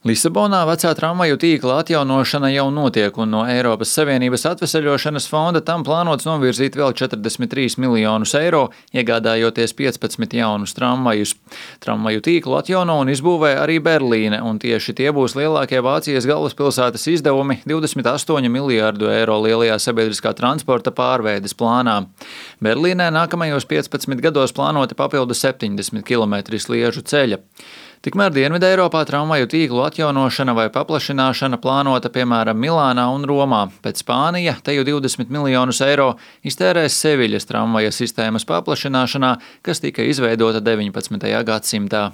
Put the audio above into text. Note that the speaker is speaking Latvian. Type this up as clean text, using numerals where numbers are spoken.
Lisabonā vecā tramvaju tīkla atjaunošana jau notiek, un no Eiropas Savienības atveseļošanas fonda tam plānots novirzīt vēl 43 miljonus eiro, iegādājoties 15 jaunus tramvajus. Tramvaju tīklu atjauno un izbūvē arī Berlīne, un tieši tie būs lielākie Vācijas galvaspilsētas izdevumi 28 miljārdu eiro lielajā sabiedriskā transporta pārveides plānā. Berlīnē nākamajos 15 gados plānoti papildu 70 km sliežu ceļa. Tikmēr Dienvidē Eiropā tramvaju tīklu atjaunošana vai paplašināšana plānota piemēram Milānā un Romā, bet Spānija teju 20 miljonus eiro iztērēs Seviļas tramvaja sistēmas paplašināšanā, kas tika izveidota 19. gadsimtā.